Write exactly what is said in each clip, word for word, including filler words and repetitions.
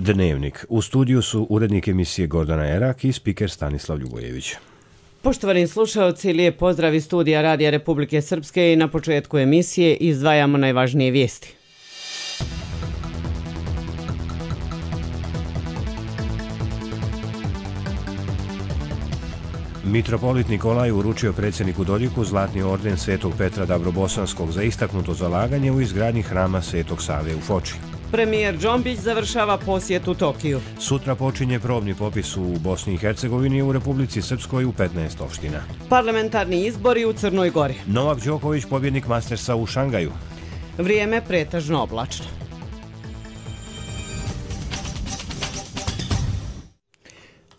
Dnevnik. U studiju su urednik emisije Gordana Erak i spiker Stanislav Ljubojević. Poštovani slušalci, lijep pozdrav iz studija Radija Republike Srpske i na početku emisije izdvajamo najvažnije vijesti. Mitropolit Nikolaj uručio predsjedniku Dodiku zlatni orden Svetog Petra Dabrobosanskog za istaknuto zalaganje u izgradnji hrama Svetog Save u Foči. Premijer Džombić završava posjet u Tokiju. Sutra počinje probni popis u Bosni i Hercegovini i u Republici Srpskoj u petnaest opština. Parlamentarni izbori u Crnoj Gori. Novak Đoković pobjednik Mastersa u Šangaju. Vrijeme pretežno oblačno.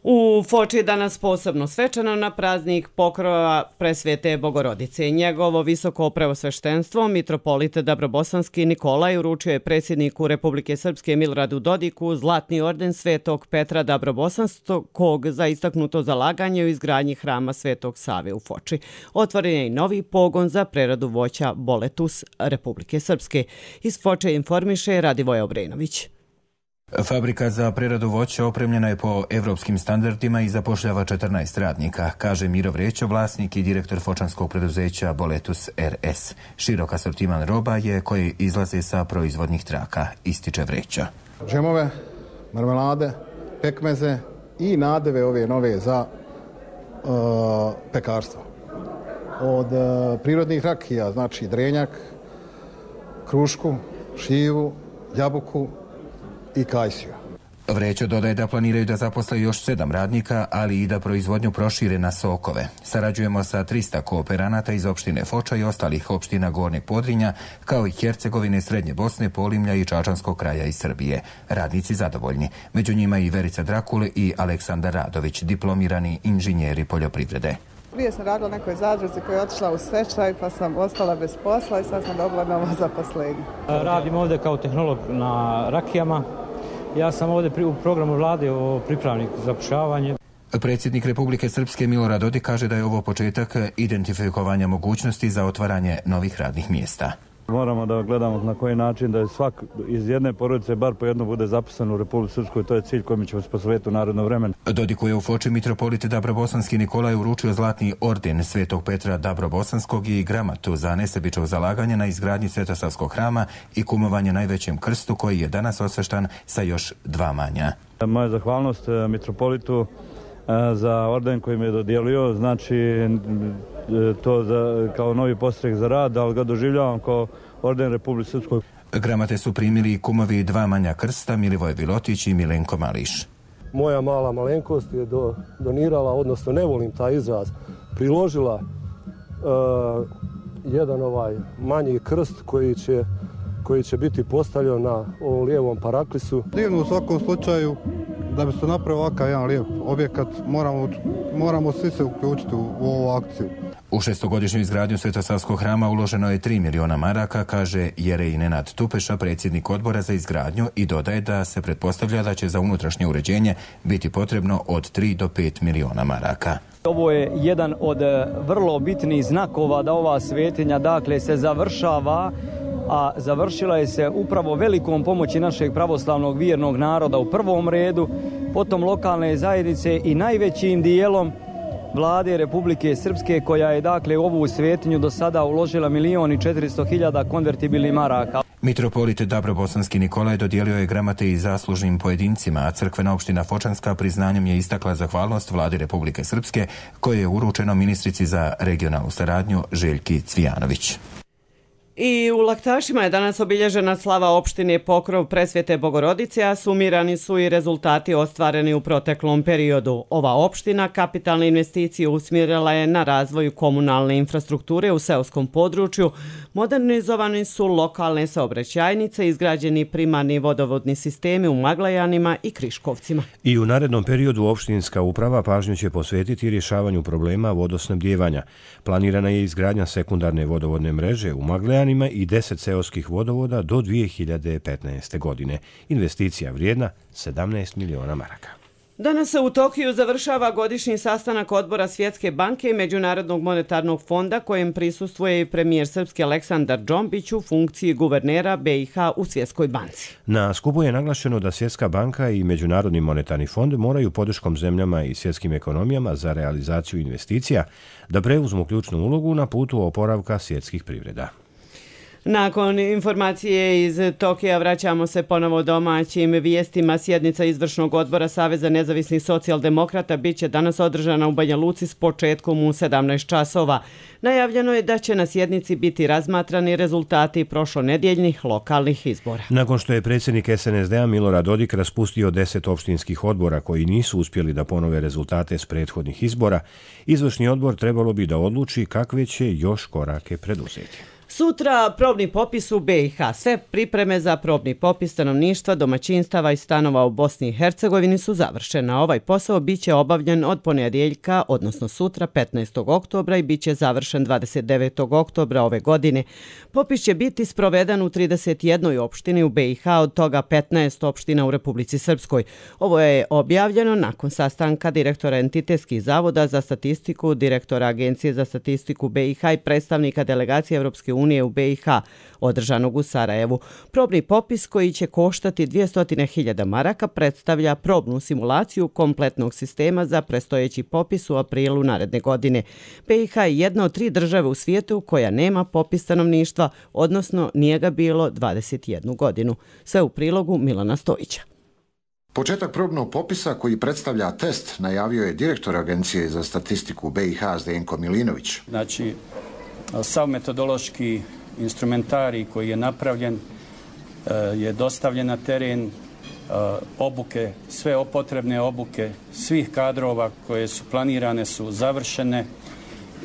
U Foči je danas posebno svečano na praznik pokrova Presvete Bogorodice. Njegovo visoko preosveštenstvo, mitropolit Dabrobosanski Nikolaj, uručio je predsjedniku Republike Srpske Miloradu Dodiku zlatni orden Svetog Petra Dabrobosanskog za istaknuto zalaganje u izgradnji hrama Svetog Save u Foči. Otvoren je i novi pogon za preradu voća Boletus Republike Srpske. Iz Foče informiše Radivoje Obrenović. Fabrika za preradu voća opremljena je po evropskim standardima i zapošljava četrnaest radnika, kaže Miro Vrećo, vlasnik i direktor fočanskog preduzeća Boletus R S. Širok asortiman roba je koji izlaze sa proizvodnih traka, ističe Vrećo. Džemove, marmelade, pekmeze i nadeve ove nove za uh, pekarstvo. Od uh, prirodnih rakija, znači drenjak, krušku, šivu, jabuku i kajsiju. Vrećo dodaje da planiraju da zaposle još sedam radnika, ali i da proizvodnju prošire na sokove. Sarađujemo sa trista kooperanata iz opštine Foča i ostalih opština Gornjeg Podrinja, kao i Hercegovine, Srednje Bosne, Polimlja i Čačanskog kraja iz Srbije. Radnici zadovoljni. Među njima i Verica Drakule i Aleksandar Radović, diplomirani inženjeri poljoprivrede. Prije sam radila nekoj zadruzi koja je otišla u stečaj, pa sam ostala bez posla i sad sam dobila novo zaposlenje. Radim ovdje kao tehnolog na rakijama. Ja sam ovdje u programu vlade o pripravniku za zapošljavanje. Predsjednik Republike Srpske Milorad Dodik kaže da je ovo početak identifikovanja mogućnosti za otvaranje novih radnih mjesta. Moramo da gledamo na koji način da je svak iz jedne porodice bar po jedno bude zaposlen u Republici Srpskoj. To je cilj kojim ćemo se posvetiti u naredno vremenu. Dodiku je u Foči mitropolit Dabrobosanski Nikolaj uručio zlatni orden Svetog Petra Dabrobosanskog i gramatu za nesebično zalaganje na izgradnji Svetosavskog hrama i kumovanje najvećem krstu koji je danas osveštan sa još dva manja. Moja zahvalnost mitropolitu za orden koji mi je dodijelio, znači to za, kao novi podstrek za rad, ali ga doživljavam kao orden Republike Srpskoj. Gramate su primili i kumovi dva manja krsta, Milivoje Vilotić i Milenko Mališ. Moja mala malenkost je do, donirala, odnosno ne volim taj izraz, priložila uh, jedan ovaj manji krst koji će, koji će biti postavljen na ovom lijevom paraklisu. Divno u svakom slučaju, da bi se napravio ovakav jedan lijep objekat, moramo, moramo svi se uključiti u, u ovu akciju. U šestogodišnju izgradnju Svetosavskog hrama uloženo je tri miliona maraka, kaže Jerej Nenad Tupeša, predsjednik odbora za izgradnju, i dodaje da se pretpostavlja da će za unutrašnje uređenje biti potrebno od tri do pet miliona maraka. Ovo je jedan od vrlo bitnih znakova da ova svetinja dakle se završava, a završila je se upravo velikom pomoći našeg pravoslavnog vjernog naroda u prvom redu, potom lokalne zajednice i najvećim dijelom vlade Republike Srpske koja je dakle u ovu svetinju do sada uložila milion i četiristo hiljada konvertibilnih maraka. Mitropolit Dabrobosanski Nikolaj dodijelio je gramate i zaslužnim pojedincima, a crkvena opština Fočanska priznanjem je istakla zahvalnost vladi Republike Srpske koje je uručeno ministrici za regionalnu saradnju Željki Cvijanović. I u Laktašima je danas obilježena slava opštine Pokrov Presvete Bogorodice, a sumirani su i rezultati ostvareni u proteklom periodu. Ova opština kapitalne investicije usmjerila je na razvoju komunalne infrastrukture u seoskom području, modernizovani su lokalne saobraćajnice, izgrađeni primarni vodovodni sistemi u Maglajanima i Kriškovcima. I u narednom periodu opštinska uprava pažnju će posvetiti rješavanju problema vodosnabdijevanja. Planirana je izgradnja sekundarne vodovodne mreže u Maglajanima i deset seoskih vodovoda do dvije hiljade petnaeste. godine. Investicija vrijedna sedamnaest miliona maraka. Danas se u Tokiju završava godišnji sastanak odbora Svjetske banke i Međunarodnog monetarnog fonda kojem prisustvuje i premijer Srpske Aleksandar Džombić u funkciji guvernera B i H u Svjetskoj banci. Na skupu je naglašeno da Svjetska banka i Međunarodni monetarni fond moraju podrškom zemljama i svjetskim ekonomijama za realizaciju investicija da preuzmu ključnu ulogu na putu oporavka svjetskih privreda. Nakon informacije iz Tokija vraćamo se ponovo domaćim vijestima. Sjednica izvršnog odbora Saveza nezavisnih socijaldemokrata bit će danas održana u Banja Luci s početkom u sedamnaest časova. Najavljeno je da će na sjednici biti razmatrani rezultati prošlonedjeljnih lokalnih izbora. Nakon što je predsjednik S N S D-a Milorad Dodik raspustio deset opštinskih odbora koji nisu uspjeli da ponove rezultate s prethodnih izbora, izvršni odbor trebalo bi da odluči kakve će još korake preduzeti. Sutra probni popis u B i H. Sve pripreme za probni popis stanovništva, domaćinstava i stanova u Bosni i Hercegovini su završene. Ovaj posao biće obavljen od ponedjeljka, odnosno sutra petnaestog oktobra i biće završen dvadeset devetog oktobra ove godine. Popis će biti sproveden u trideset jednoj opštini u B i H, od toga petnaest opština u Republici Srpskoj. Ovo je objavljeno nakon sastanka direktora Entitetskih zavoda za statistiku, direktora Agencije za statistiku B i H i predstavnika delegacije Evropske unije u B i H, održanog u Sarajevu. Probni popis koji će koštati dvjesto hiljada maraka predstavlja probnu simulaciju kompletnog sistema za predstojeći popis u aprilu naredne godine. B i H je jedna od tri države u svijetu koja nema popis stanovništva, odnosno nije ga bilo dvadeset jednu godinu. Sve u prilogu Milana Stojića. Početak probnog popisa koji predstavlja test najavio je direktor Agencije za statistiku B i H Zdenko Milinović. Znači, sav metodološki instrumentarij koji je napravljen je dostavljen na teren, obuke, sve potrebne obuke svih kadrova koje su planirane su završene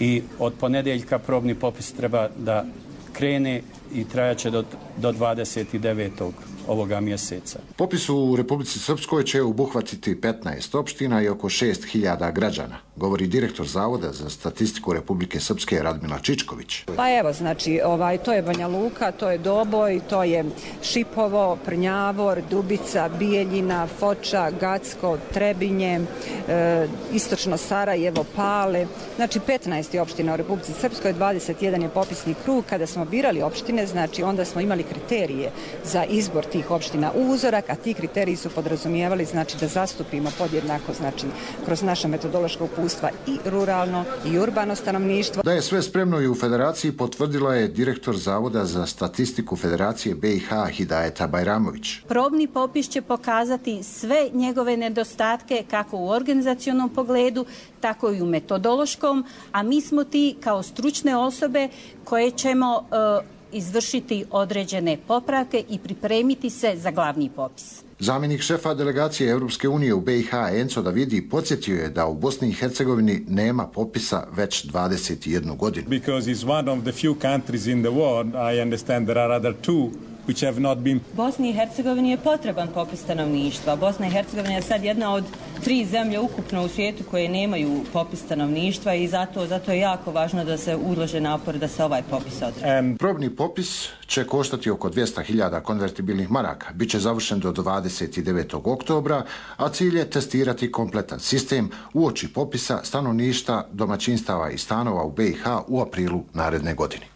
i od ponedjeljka probni popis treba da krene i trajaće do, do dvadeset devetog ovoga mjeseca. Popis u Republici Srpskoj će obuhvatiti petnaest opština i oko šest hiljada građana, govori direktor Zavoda za statistiku Republike Srpske Radmila Čičković. Pa evo, znači, ovaj, to je Banja Luka, to je Doboj, to je Šipovo, Prnjavor, Dubica, Bijeljina, Foča, Gacko, Trebinje, e, istočno Sarajevo, Pale. Znači, petnaest je opština u Republici Srpskoj, dvadeset jedan je popisni krug. Kada smo birali opštine, znači, onda smo imali kriterije za izbor tih opština u uzorak, a ti kriteriji su podrazumijevali, znači, da zastupimo podjednako, znači, kroz naša metodološka upustva i ruralno i urbano stanovništvo. Da je sve spremno i u Federaciji potvrdila je direktor Zavoda za statistiku Federacije B i H Hidajeta Bajramović. Probni popis će pokazati sve njegove nedostatke kako u organizacionom pogledu, tako i u metodološkom, a mi smo ti kao stručne osobe koje ćemo uh, izvršiti određene popravke i pripremiti se za glavni popis. Zamjenik šefa delegacije Europske unije u B i H Enzo Davidi podsjetio je da u Bosni i Hercegovini nema popisa već dvadeset jednu godinu. Because it's one of the few countries in the world, I understand there are other two which have not been. Bosni i Hercegovini je potreban popis stanovništva. Bosna i Hercegovina je sad jedna od tri zemlje ukupno u svijetu koje nemaju popis stanovništva i zato, zato je jako važno da se ulože napor da se ovaj popis odradi. Probni popis će koštati oko dvjesto hiljada konvertibilnih maraka. Biće završen do dvadeset devetog oktobra, a cilj je testirati kompletan sistem uoči popisa stanovništva, domaćinstava i stanova u B i H u aprilu naredne godine.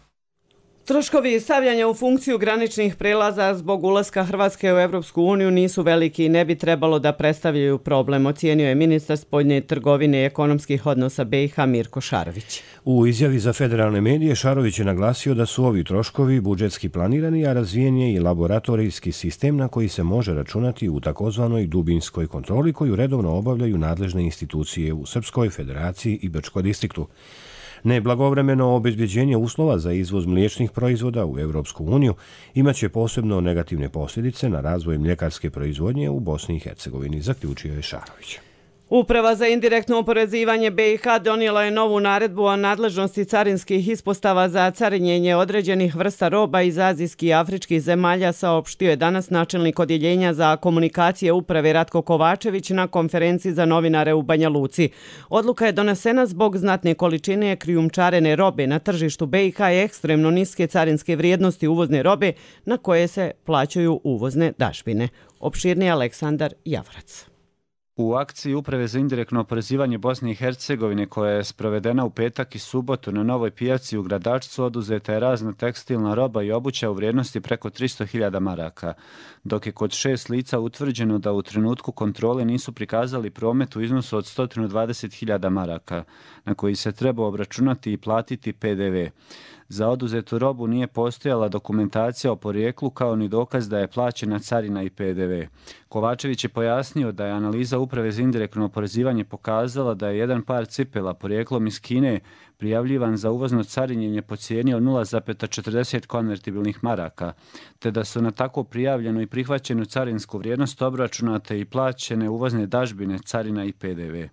Troškovi stavljanja u funkciju graničnih prelaza zbog ulaska Hrvatske u Evropsku uniju nisu veliki i ne bi trebalo da predstavljaju problem, ocijenio je ministar spoljne trgovine i ekonomskih odnosa B i H Mirko Šarović. U izjavi za federalne medije Šarović je naglasio da su ovi troškovi budžetski planirani, a razvijen je i laboratorijski sistem na koji se može računati u takozvanoj dubinskoj kontroli koju redovno obavljaju nadležne institucije u Srpskoj Federaciji i Brčko distriktu. Neblagovremeno obezbeđenje uslova za izvoz mliječnih proizvoda u Evropsku uniju imaće posebno negativne posljedice na razvoj mljekarske proizvodnje u Bosni i Hercegovini, zaključio je Šarović. Uprava za indirektno oporezivanje B i H donijela je novu naredbu o nadležnosti carinskih ispostava za carinjenje određenih vrsta roba iz azijskih i afričkih zemalja, saopštio je danas načelnik odjeljenja za komunikacije uprave Ratko Kovačević na konferenciji za novinare u Banja Luci. Odluka je donesena zbog znatne količine krijumčarene robe na tržištu B i H i ekstremno niske carinske vrijednosti uvozne robe na koje se plaćaju uvozne dažbine. Opširni Aleksandar Javorac. U akciji Uprave za indirektno oporezivanje Bosne i Hercegovine, koja je sprovedena u petak i subotu na Novoj pijaci u Gradačcu, oduzeta je razna tekstilna roba i obuća u vrijednosti preko tristo hiljada maraka, dok je kod šest lica utvrđeno da u trenutku kontrole nisu prikazali promet u iznosu od sto dvadeset hiljada maraka, na koji se treba obračunati i platiti P D V. Za oduzetu robu nije postojala dokumentacija o porijeklu kao ni dokaz da je plaćena carina i P D V. Kovačević je pojasnio da je analiza Uprave za indirektno oporezivanje pokazala da je jedan par cipela porijeklom iz Kine prijavljivan za uvozno carinjenje po cijeni od nula zarez četrdeset konvertibilnih maraka, te da su na tako prijavljenu i prihvaćenu carinsku vrijednost obračunate i plaćene uvozne dažbine, carina i P D V.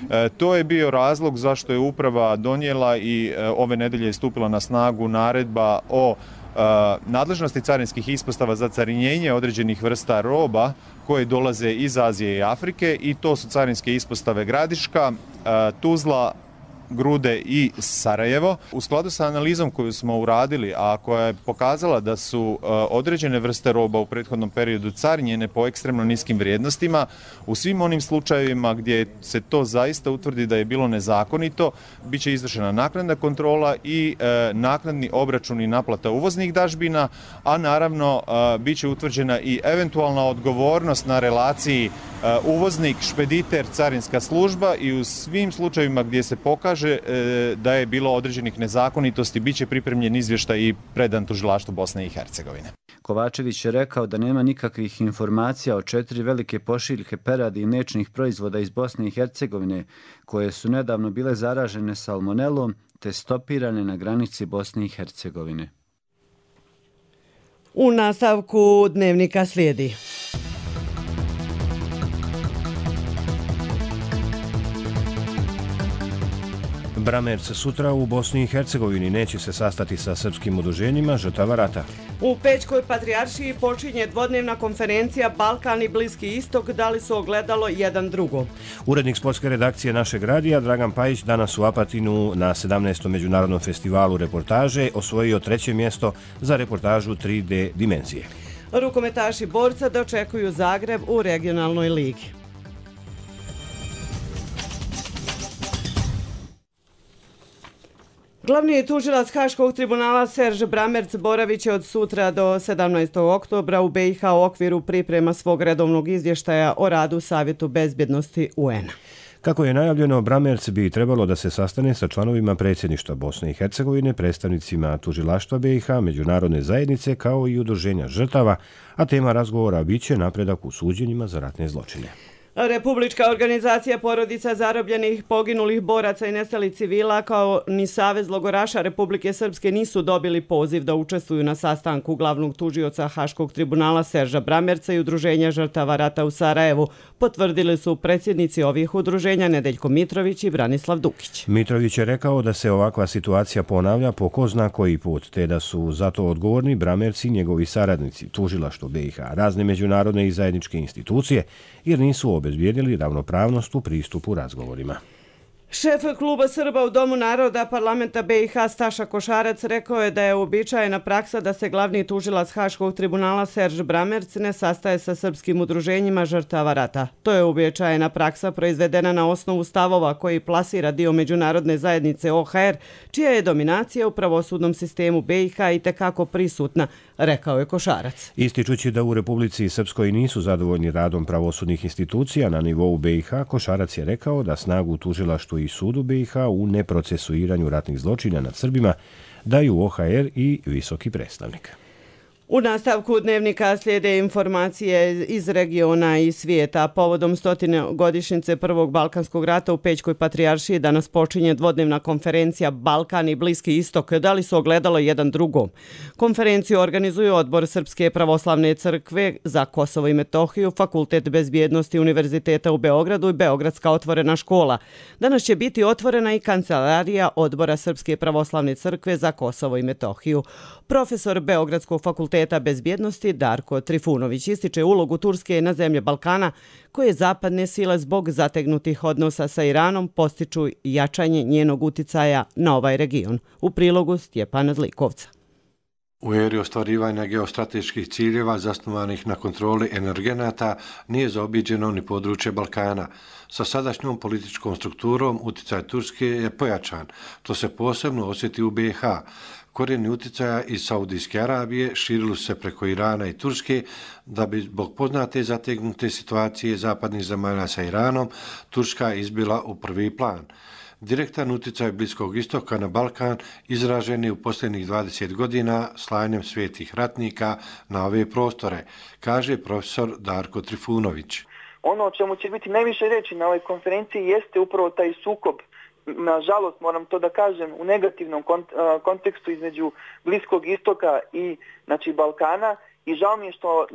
E, to je bio razlog zašto je uprava donijela i e, ove nedelje je stupila na snagu naredba o e, nadležnosti carinskih ispostava za carinjenje određenih vrsta roba koje dolaze iz Azije i Afrike, i to su carinske ispostave Gradiška, e, Tuzla, Grude i Sarajevo. U skladu sa analizom koju smo uradili, a koja je pokazala da su uh, određene vrste roba u prethodnom periodu carinjene po ekstremno niskim vrijednostima, u svim onim slučajevima gdje se to zaista utvrdi da je bilo nezakonito, bit će izvršena naknadna kontrola i uh, naknadni obračun i naplata uvoznih dažbina, a naravno uh, bit će utvrđena i eventualna odgovornost na relaciji uh, uvoznik, špediter, carinska služba, i u svim slučajevima gdje se pokaže da je bilo određenih nezakonitosti, bit će pripremljen izvještaj i predan tužilaštvu Bosne i Hercegovine. Kovačević je rekao da nema nikakvih informacija o četiri velike pošiljke peradi i mliječnih proizvoda iz Bosne i Hercegovine koje su nedavno bile zaražene salmonelom te stopirane na granici Bosne i Hercegovine. U nastavku dnevnika slijedi. Bramerc sutra u Bosni i Hercegovini neće se sastati sa srpskim udruženjima žrtava rata. U Pećkoj patrijaršiji počinje dvodnevna konferencija Balkan i Bliski istok, dali su ogledalo jedan drugo. Urednik sportske redakcije našeg radija Dragan Pajić danas u Apatinu na sedamnaestom međunarodnom festivalu reportaže osvojio treće mjesto za reportažu tri D dimenzije. Rukometaši borca dočekuju Zagreb u regionalnoj ligi. Glavni tužilac Haškog tribunala Serž Bramerc boravit će od sutra do sedamnaestog oktobra u B i H u okviru priprema svog redovnog izvještaja o radu Savjetu bezbjednosti U N-a. Kako je najavljeno, Bramerc bi trebalo da se sastane sa članovima predsjedništva Bosne i Hercegovine, predstavnicima tužilaštva B i H, međunarodne zajednice kao i udruženja žrtava, a tema razgovora biće napredak u suđenjima za ratne zločine. Republička organizacija porodica zarobljenih, poginulih boraca i nestalih civila kao ni Savez logoraša Republike Srpske nisu dobili poziv da učestvuju na sastanku glavnog tužioca Haškog tribunala Serža Bramerca i udruženja žrtava rata u Sarajevu, potvrdili su predsjednici ovih udruženja Nedeljko Mitrović i Branislav Dukić. Mitrović je rekao da se ovakva situacija ponavlja po ko zna koji put, te da su za to odgovorni Bramerc i njegovi saradnici, tužilaštvo B i H, razne međunarodne i zajedničke institucije, jer nisu obezbijedili ravnopravnost u pristupu razgovorima. Šef kluba Srba u Domu naroda parlamenta B i H Staša Košarac rekao je da je uobičajena praksa da se glavni tužilac Haškog tribunala Serž Bramerc ne sastaje sa srpskim udruženjima žrtava rata. To je uobičajena praksa proizvedena na osnovu stavova koji plasira dio međunarodne zajednice O H R, čija je dominacija u pravosudnom sistemu B i H i tekako prisutna, rekao je Košarac. Ističući da u Republici Srpskoj nisu zadovoljni radom pravosudnih institucija na nivou B i H, Košarac je rekao da snagu tužilaštvu i sudu B i H u neprocesuiranju ratnih zločina nad Srbima daju O H R i visoki predstavnik. U nastavku dnevnika slijede informacije iz regiona i svijeta. Povodom stotine godišnjice Prvog Balkanskog rata u Pećkoj patrijaršiji danas počinje dvodnevna konferencija Balkan i Bliski istok, dali su ogledalo jedan drugom. Konferenciju organizuju Odbor Srpske pravoslavne crkve za Kosovo i Metohiju, Fakultet bezbjednosti Univerziteta u Beogradu i Beogradska otvorena škola. Danas će biti otvorena i kancelarija Odbora Srpske pravoslavne crkve za Kosovo i Metohiju. Profesor Beogradskog fakulteta bezbjednosti Darko Trifunović ističe ulogu Turske na zemlje Balkana, koje zapadne sile zbog zategnutih odnosa sa Iranom postiču jačanje njenog uticaja na ovaj region. U prilogu Stjepana Zlikovca. U eri ostvarivanja geostrateških ciljeva zasnovanih na kontroli energenata nije zaobiđeno ni područje Balkana. Sa sadašnjom političkom strukturom utjecaj Turske je pojačan. To se posebno osjeti u B i H. Korijeni utjecaja iz Saudijske Arabije širili su se preko Irana i Turske, da bi zbog poznate zategnute situacije zapadnih zemalja sa Iranom, Turska izbila u prvi plan. Direktan utjecaj Bliskog istoka na Balkan izražen je u posljednjih dvadeset godina slanjem svetih ratnika na ove prostore, kaže profesor Darko Trifunović. Ono o čemu će biti najviše reći na ovoj konferenciji jeste upravo taj sukob, nažalost moram to da kažem, u negativnom kontekstu između Bliskog istoka i znači, Balkana. I žao mi je što e,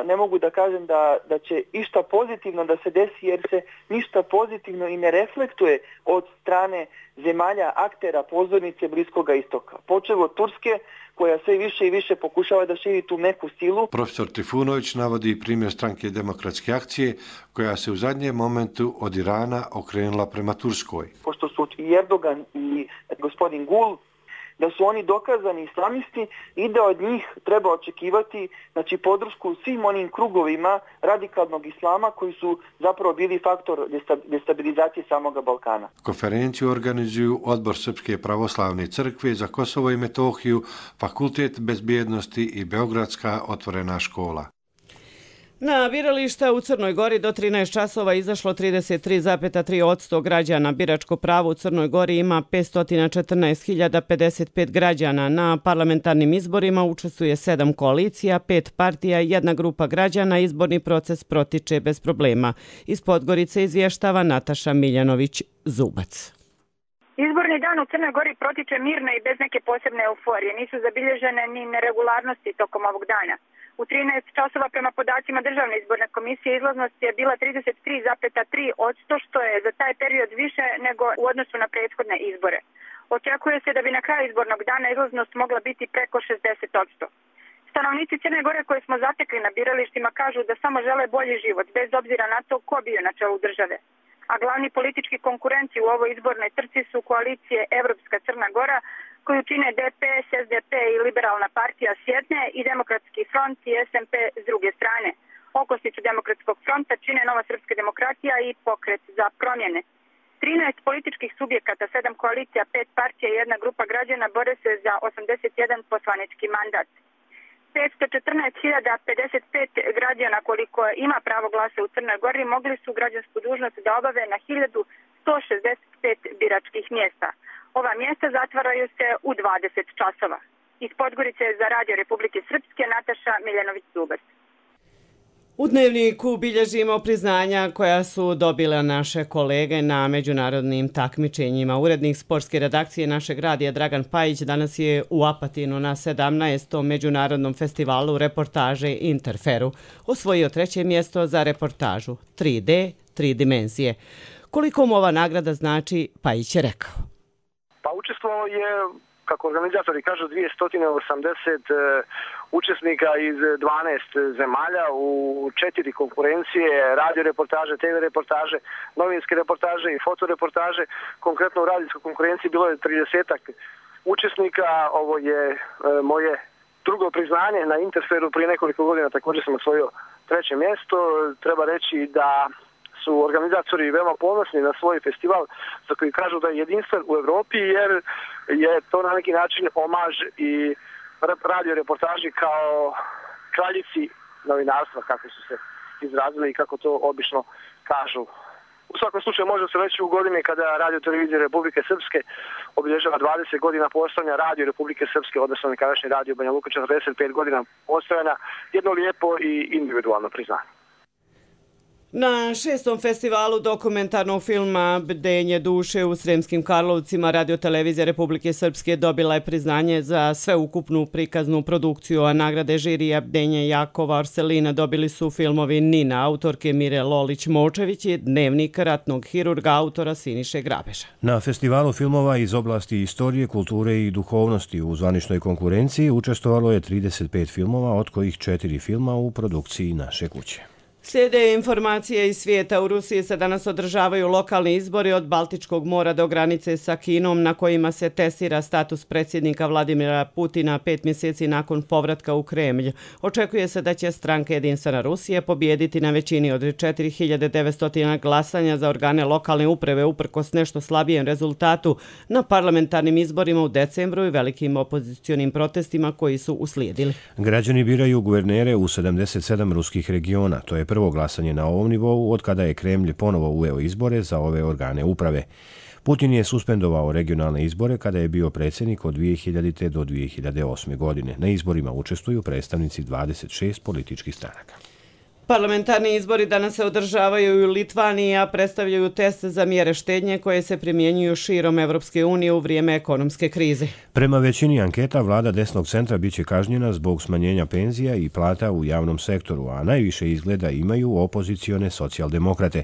ne mogu da kažem da, da će išta pozitivno da se desi, jer se ništa pozitivno i ne reflektuje od strane zemalja aktera pozornice Bliskoga istoka. Počev od Turske, koja sve više i više pokušava da širi tu neku silu. Profesor Trifunović navodi primjer stranke Demokratske akcije, koja se u zadnjem momentu od Irana okrenula prema Turskoj. Pošto su i Erdogan i gospodin Gul, da su oni dokazani islamisti i da od njih treba očekivati znači, podršku svim onim krugovima radikalnog islama koji su zapravo bili faktor destabilizacije samoga Balkana. Konferenciju organizuju Odbor Srpske pravoslavne crkve za Kosovo i Metohiju, Fakultet bezbjednosti i Beogradska otvorena škola. Na birališta u Crnoj Gori do trinaest časova izašlo trideset tri zarez tri posto građana. Biračko pravo u Crnoj Gori ima petsto četrnaest hiljada pedeset pet građana. Na parlamentarnim izborima učestvuje sedam koalicija, pet partija i jedna grupa građana. Izborni proces protiče bez problema. Iz Podgorice izvještava Nataša Miljanović-Zubac. Izborni dan u Crnoj Gori protiče mirno i bez neke posebne euforije. Nisu zabilježene ni neregularnosti tokom ovog dana. U trinaest časova prema podacima Državne izborne komisije izlaznost je bila trideset tri zarez tri posto, što je za taj period više nego u odnosu na prethodne izbore. Očekuje se da bi na kraju izbornog dana izlaznost mogla biti preko šezdeset posto. Stanovnici Crne Gore koje smo zatekli na biralištima kažu da samo žele bolji život, bez obzira na to ko bio na čelu države. A glavni politički konkurenci u ovoj izbornoj trci su koalicije Evropska Crna Gora, koju čine D P S, S D P i Liberalna partija s jedne i Demokratski front i S M P s druge strane. Okosnicu Demokratskog fronta čine Nova srpska demokratija i Pokret za promjene. trinaest političkih subjekata, sedam koalicija, pet partija i jedna grupa građana bore se za osamdeset jedan poslanički mandat. petsto četrnaest hiljada pedeset pet građana koliko ima pravo glasa u Crnoj Gori mogli su građansku dužnost da obave na hiljadu sto šezdeset pet biračkih mjesta. Ova mjesta zatvaraju se u dvadeset časova. Iz Podgorice za Radio Republike Srpske Nataša Miljanović-Zubac. U Dnevniku bilježimo priznanja koja su dobile naše kolege na međunarodnim takmičenjima. Urednik sportske redakcije našeg radija Dragan Pajić danas je u Apatinu na sedamnaestom međunarodnom festivalu reportaže Interferu osvojio treće mjesto za reportažu tri D, tri dimenzije. Koliko mu ova nagrada znači, Pajić je rekao. Pa učestvovao je, kako organizatori kažu, dvjesto osamdeset učesnika iz dvanaest zemalja u četiri konkurencije, radio reportaže, T V reportaže, novinske reportaže i fotoreportaže. Konkretno u radijskoj konkurenciji bilo je tridesetak učesnika. Ovo je e, moje drugo priznanje na Interferu. Prije nekoliko godina također sam osvojio treće mjesto. Treba reći da su organizatori veoma ponosni na svoj festival za koji kažu da je jedinstven u Europi, jer je to na neki način omaž i radio reportaži kao kraljici novinarstva, kako su se izrazili i kako to obično kažu. U svakom slučaju može se reći u godini kada Radio Televizija Republike Srpske obilježava dvadeset godina postojanja, Radio Republike Srpske, odnosno nekadašnji Radio Banja Luka četrdeset pet godina postojanja, jedno lijepo i individualno priznanje. Na šestom festivalu dokumentarnog filma Bdenje duše u Sremskim Karlovcima Radio Televizija Republike Srpske dobila je priznanje za sveukupnu prikaznu produkciju, a nagrade žirija Bdenje Jakova Arselina dobili su filmovi Nina, autorke Mire Lolić-Močević i Dnevnik ratnog hirurga autora Siniše Grabeža. Na festivalu filmova iz oblasti istorije, kulture i duhovnosti u zvaničnoj konkurenciji učestvovalo je trideset pet filmova, od kojih četiri filma u produkciji naše kuće. Slijede informacije iz svijeta. U Rusiji se danas održavaju lokalni izbori od Baltičkog mora do granice sa Kinom na kojima se testira status predsjednika Vladimira Putina pet mjeseci nakon povratka u Kremlj. Očekuje se da će stranka Jedinstvena Rusije pobijediti na većini od četiri hiljade devetsto glasanja za organe lokalne uprave uprkos nešto slabijem rezultatu na parlamentarnim izborima u decembru i velikim opozicionim protestima koji su uslijedili. Građani biraju guvernere u sedamdeset sedam ruskih regiona. To je prvo glasanje na ovom nivou od kada je Kremlj ponovo uveo izbore za ove organe uprave. Putin je suspendovao regionalne izbore kada je bio predsjednik od dvije hiljadite do dvije hiljade osme. godine. Na izborima učestvuju predstavnici dvadeset šest političkih stranaka. Parlamentarni izbori danas se održavaju i u Litvaniji, a predstavljaju test za mjere štednje koje se primjenjuju širom Evropske unije u vrijeme ekonomske krize. Prema većini anketa, vlada desnog centra biće kažnjena zbog smanjenja penzija i plata u javnom sektoru, a najviše izgleda imaju opozicione socijaldemokrate.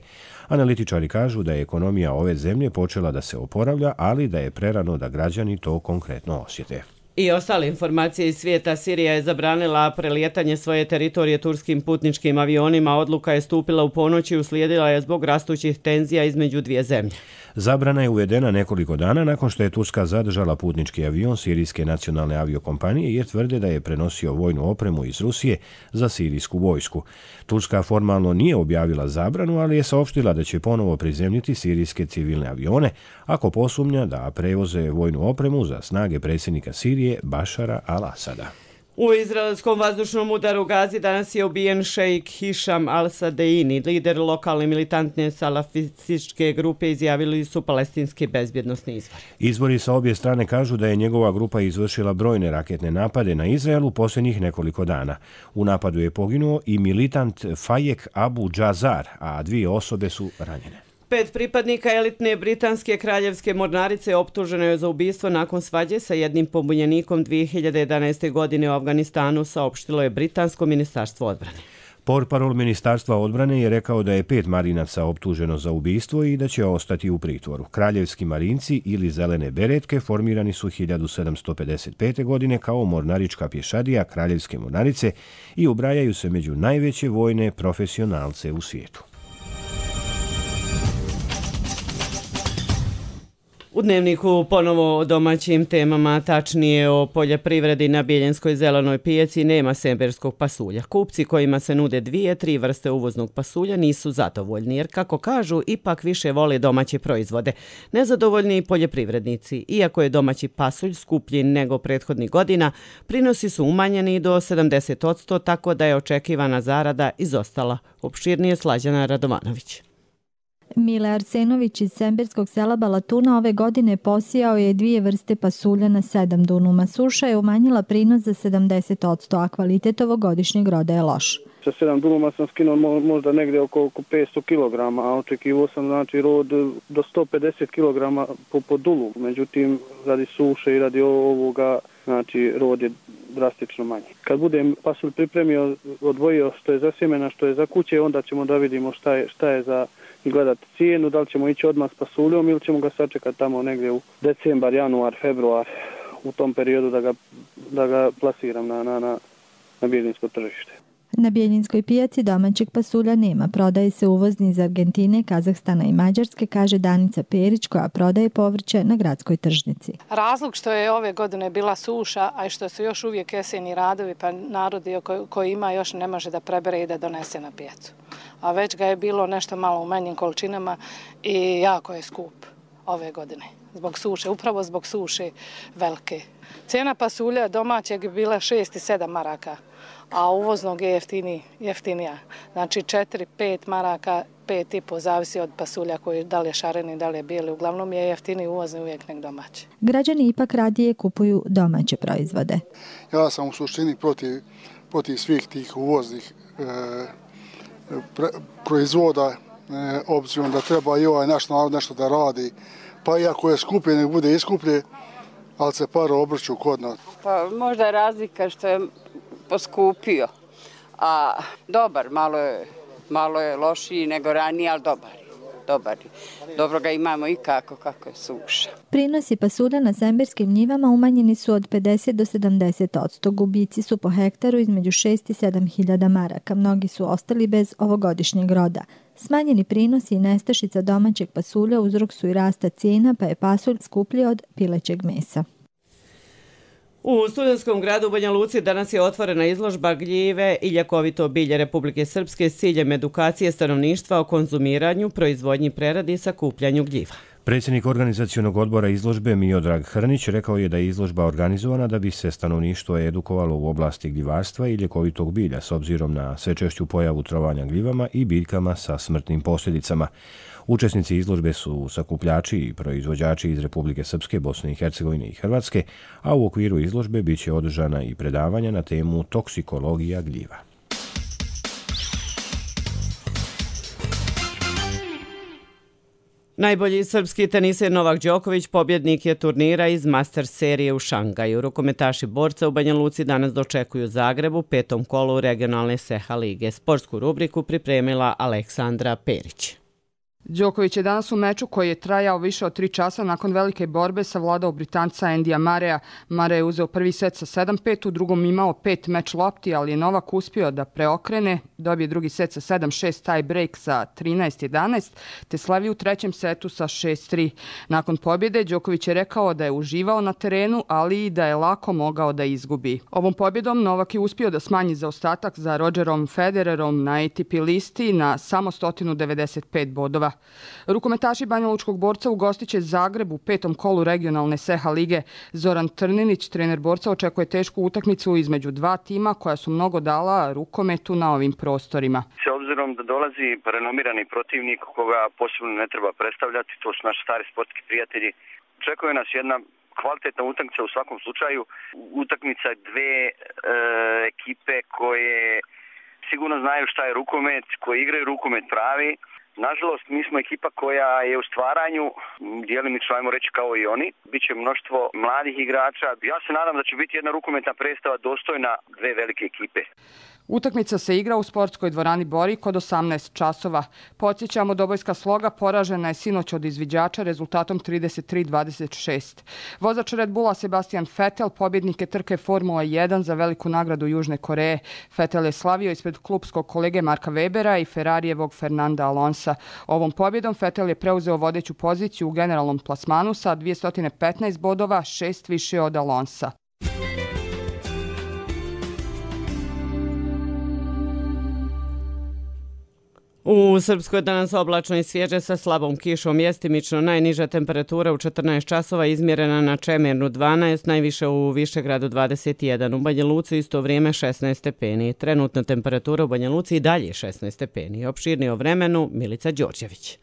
Analitičari kažu da je ekonomija ove zemlje počela da se oporavlja, ali da je prerano da građani to konkretno osjete. I ostale informacije iz svijeta. Sirija je zabranila prelijetanje svoje teritorije turskim putničkim avionima. Odluka je stupila u ponoć i uslijedila je zbog rastućih tenzija između dvije zemlje. Zabrana je uvedena nekoliko dana nakon što je Turska zadržala putnički avion Sirijske nacionalne aviokompanije jer tvrde da je prenosio vojnu opremu iz Rusije za sirijsku vojsku. Turska formalno nije objavila zabranu, ali je saopštila da će ponovo prizemljiti sirijske civilne avione ako posumnja da prevoze vojnu opremu za snage predsjednika Sirije Bašara al-Asada. U izraelskom vazdušnom udaru Gazi danas je ubijen šejk Hišam al-Sadeini. Lider lokalne militantne salafističke grupe, izjavili su palestinski bezbjednosni izvori. Izvori sa obje strane kažu da je njegova grupa izvršila brojne raketne napade na Izrael u posljednjih nekoliko dana. U napadu je poginuo i militant Fajek Abu Džazar, a dvije osobe su ranjene. Pet pripadnika elitne britanske kraljevske mornarice optuženo je za ubistvo nakon svađe sa jednim pobunjenikom dvije hiljade jedanaeste. godine u Afganistanu, saopštilo je britansko ministarstvo odbrane. Portparol ministarstva odbrane je rekao da je pet marinaca optuženo za ubistvo i da će ostati u pritvoru. Kraljevski marinci ili zelene beretke formirani su hiljadu sedamsto pedeset pete. godine kao mornarička pješadija kraljevske mornarice i ubrajaju se među najveće vojne profesionalce u svijetu. U Dnevniku ponovo o domaćim temama, tačnije o poljoprivredi. Na Bijeljinskoj zelenoj pijaci nema semberskog pasulja. Kupci kojima se nude dvije, tri vrste uvoznog pasulja nisu zadovoljni, jer kako kažu, ipak više vole domaće proizvode. Nezadovoljni i poljoprivrednici. Iako je domaći pasulj skuplji nego prethodnih godina, prinosi su umanjeni do sedamdeset posto, tako da je očekivana zarada izostala. Opširnije Slađana Radovanović. Mile Arsenović iz semberskog sela Balatuna ove godine posijao je dvije vrste pasulja na sedam dunuma. Suša je umanjila prinos za sedamdeset posto, a kvalitet ovogodišnjeg roda je loš. Sa sedam dunuma sam skinuo možda negdje oko, oko petsto kilograma, a očekivao sam znači rod do sto pedeset kilograma po, po dulu. Međutim, radi suše i radi ovoga, znači rod je drastično manji. Kad budem pasulj pripremio, odvojio što je za sjemena, što je za kuće, onda ćemo da vidimo šta je, šta je za gledati cijenu, da li ćemo ići odmah s pasuljom ili ćemo ga sačekati tamo negdje u decembar, januar, februar, u tom periodu da ga, da ga plasiram na, na, na, na bijeljinsko tržište. Na Bijeljinskoj pijaci domaćeg pasulja nema. Prodaje se uvozni iz Argentine, Kazahstana i Mađarske, kaže Danica Perić, koja prodaje povrće na gradskoj tržnici. Razlog što je ove godine bila suša, a i što su još uvijek jeseni radovi, pa narod koji, koji ima još ne može da prebere i da donese na pijacu. A već ga je bilo nešto malo u manjim količinama i jako je skup ove godine. Zbog suše, upravo zbog suše velike. Cijena pasulja domaćeg je bila šest i sedam maraka, a uvoznog je jeftini, jeftinija. Znači četiri pet maraka, pet i po, zavisi od pasulja koji da li je šareni, da li je bijeli. Uglavnom je jeftini uvozni uvijek nek domaći. Građani ipak radije kupuju domaće proizvode. Ja sam u suštini protiv, protiv svih tih uvoznih e, pre, proizvoda, e, obzirom da treba i ovaj naš narod nešto da radi. Pa iako je skuplje, nek bude iskuplje, ali se pare obrću kod nas. Pa možda je razlika što je poskupio, a dobar, malo je, malo je lošiji nego ranije, ali dobar. dobar. Dobro ga imamo i kako, kako je suša. Prinosi pasulja na semberskim njivama umanjeni su od pedeset do sedamdeset odsto. Gubici su po hektaru između šest i sedam hiljada maraka. Mnogi su ostali bez ovogodišnjeg roda. Smanjeni prinosi i nestašica domaćeg pasulja uzrok su i rasta cijena, pa je pasulj skuplji od pilećeg mesa. U Studentskom gradu u Banja Luci danas je otvorena izložba gljive i ljekovito bilje Republike Srpske s ciljem edukacije stanovništva o konzumiranju, proizvodnji, preradi i sakupljanju gljiva. Predsjednik organizacionog odbora izložbe Miodrag Hrnić rekao je da je izložba organizovana da bi se stanovništvo edukovalo u oblasti gljivarstva i ljekovitog bilja s obzirom na sve češću pojavu trovanja gljivama i biljkama sa smrtnim posljedicama. Učesnici izložbe su sakupljači i proizvođači iz Republike Srpske, Bosne i Hercegovine i Hrvatske, a u okviru izložbe bit će održana i predavanja na temu toksikologija gljiva. Najbolji srpski teniser Novak Đoković pobjednik je turnira iz Masters serije u Šangaju. Rukometaši borca u Banja Luci danas dočekuju Zagreb u petom kolu regionalne S E H A lige. Sportsku rubriku pripremila Aleksandra Perić. Đoković je danas u meču koji je trajao više od tri časa nakon velike borbe savladao Britanca Endija Mareja. Mare je uzeo prvi set sa sedam pet, u drugom imao pet meč lopti, ali je Novak uspio da preokrene, dobije drugi set sa sedam šest tie break sa trinaest jedanaest, te slavi u trećem setu sa šest tri. Nakon pobjede Đoković je rekao da je uživao na terenu, ali i da je lako mogao da izgubi. Ovom pobjedom Novak je uspio da smanji zaostatak za Rogerom Federerom na A T P listi na samo sto devedeset pet bodova. Rukometaši banjalučkog borca ugostiće Zagreb u petom kolu regionalne S E H A lige. Zoran Trninić, trener borca, očekuje tešku utakmicu između dva tima koja su mnogo dala rukometu na ovim prostorima. S obzirom da dolazi renomirani protivnik koga posebno ne treba predstavljati, to su naši stari sportski prijatelji, očekuje nas jedna kvalitetna utakmica u svakom slučaju. Utakmica dve e, ekipe koje sigurno znaju šta je rukomet, koji igraju rukomet pravi. Nažalost, mi smo ekipa koja je u stvaranju, djelimično ajmo reći kao i oni. Biće mnoštvo mladih igrača. Ja se nadam da će biti jedna rukometna predstava dostojna dve velike ekipe. Utakmica se igra u sportskoj dvorani Borik od osamnaest časova. Podsjećamo, dobojska Sloga poražena je sinoć od izviđača rezultatom trideset tri dvadeset šest. Vozač Red Bulla Sebastian Vettel pobjednik je trke Formula jedan za veliku nagradu Južne Koreje. Vettel je slavio ispred klupskog kolege Marka Webera i Ferrarijevog Fernanda Alonsa. Ovom pobjedom Vettel je preuzeo vodeću poziciju u generalnom plasmanu sa dvjesto petnaest bodova, šest više od Alonsa. U Srpskoj danas oblačno i svježe sa slabom kišom, jestimično najniža temperatura u četrnaest časova izmjerena na Čemernu dvanaest, najviše u Višegradu dvadeset jedan, u Banja Luci isto vrijeme šesnaest stepeni. Trenutna temperatura u Banja Luci i dalje šesnaest stepeni. Opširnije o vremenu Milica Đorđević.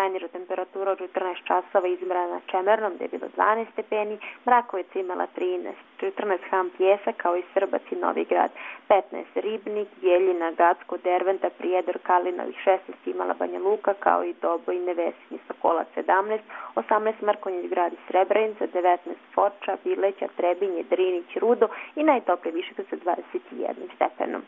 Najniža temperatura od četrnaest časova izmjerena na Čemernom gdje je bilo dvanaest stepeni, Mrakovica imala trinaest, četrnaest Ham Pjesa kao i Srbac i Novi Grad, petnaest Ribnik, Bjeljina, Gacko, Derventa, Prijedor, Kalinovih, šesnaest imala Banja Luka kao i Doboj, Nevesinje, Sokolac sedamnaest, osamnaest Mrkonjić Grad i Srebrenica, devetnaest Foča, Bileća, Trebinje, Drinić, Rudo i najtoplije Višegrad sa dvadeset jedan stepenom.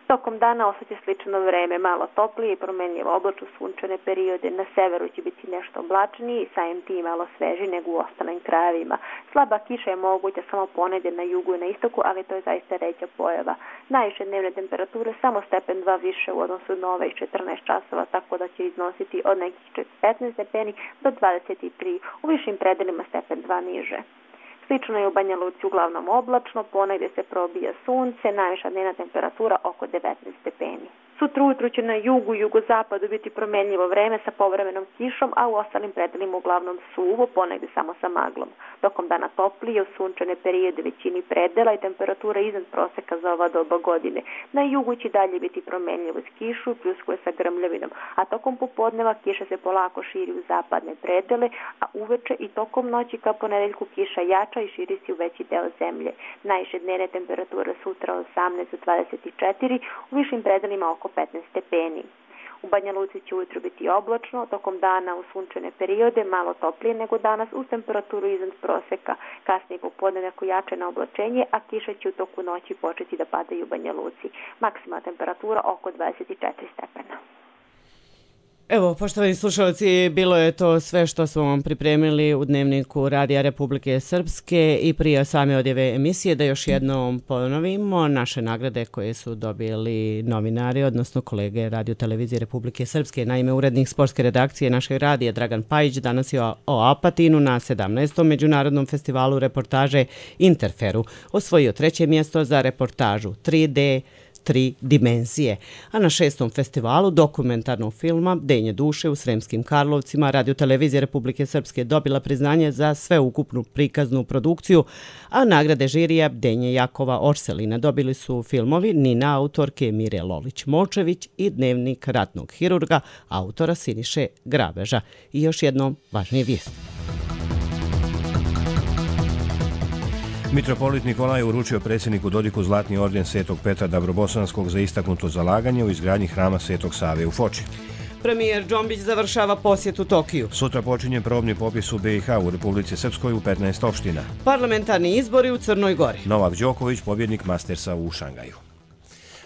Tokom dana osjeća slično vreme, malo toplije i promenljivo oblačno sunčane periode. Na severu će biti nešto oblačniji i samim tim malo sveži nego u ostalim krajevima. Slaba kiša je moguća samo ponedje na jugu i na istoku, ali to je zaista ređa pojava. Najviše dnevne temperature samo stepen dva više u odnosu na ove četrnaest časova, tako da će iznositi od nekih petnaest stepeni do dvadeset tri, u višim predelima stepen dva niže. Slično je u Banja Luci uglavnom oblačno, ponegdje se probija sunce, najviša dnevna temperatura oko devetnaest stepeni. Sutra ujutru će na jugu i jugozapadu biti promenljivo vreme sa povremenom kišom, a u ostalim predelima uglavnom suvo, ponegdje samo sa maglom. Tokom dana toplije, u sunčane periode većini predela i temperatura iznad proseka za ova doba godine. Na jugu će dalje biti promenljivo s kišu i pljuskuje sa grmljavinom, a tokom popodneva kiša se polako širi u zapadne predele, a uveče i tokom noći ka ponedeljku kiša jača i širi se u veći deo zemlje. Najviše dnevne temperature sutra od osamnaest do dvadeset četiri, u višim predelima oko petnaest stepeni. U Banja Luci će ujutro biti oblačno, tokom dana u sunčane periode malo toplije nego danas uz temperaturu iznad proseka. Kasnije popodne neko jačeno oblačenje, a kiša će u toku noći početi da padaju u Banja Luci. Maksimalna temperatura oko dvadeset četiri stepena. Evo, poštovani slušalci, bilo je to sve što smo vam pripremili u Dnevniku Radija Republike Srpske i prije same odjeve emisije da još jednom ponovimo naše nagrade koje su dobili novinari, odnosno kolege Radio Televizije Republike Srpske. Naime, urednik sportske redakcije našeg radija Dragan Pajić danas je o Apatinu na sedamnaestom Međunarodnom festivalu reportaže Interferu osvojio treće mjesto za reportažu tri D tri dimenzije, a na šestom festivalu dokumentarnog filma Denje duše u Sremskim Karlovcima Radio Televizija Republike Srpske dobila priznanje za sveukupnu prikaznu produkciju, a nagrade žirija Denje Jakova Orselina dobili su filmovi Nina autorke Mire Lolić-Močević i Dnevnik ratnog hirurga autora Siniše Grabeža. I još jednom važnije vijesti. Mitropolit Nikolaj uručio predsjedniku Dodiku Zlatni orden Svetog Petra Dabrobosanskog za istaknuto zalaganje u izgradnji hrama Svetog Save u Foči. Premijer Džombić završava posjet u Tokiju. Sutra počinje probni popis u B i H u Republici Srpskoj u petnaest opština. Parlamentarni izbori u Crnoj Gori. Novak Đoković, pobjednik Mastersa u Šangaju.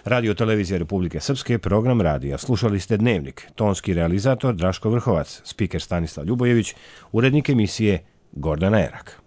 Radio Televizija Republike Srpske, program radija. Slušali ste Dnevnik. Tonski realizator Draško Vrhovac, spiker Stanislav Ljubojević, urednik emisije Gordana Erak.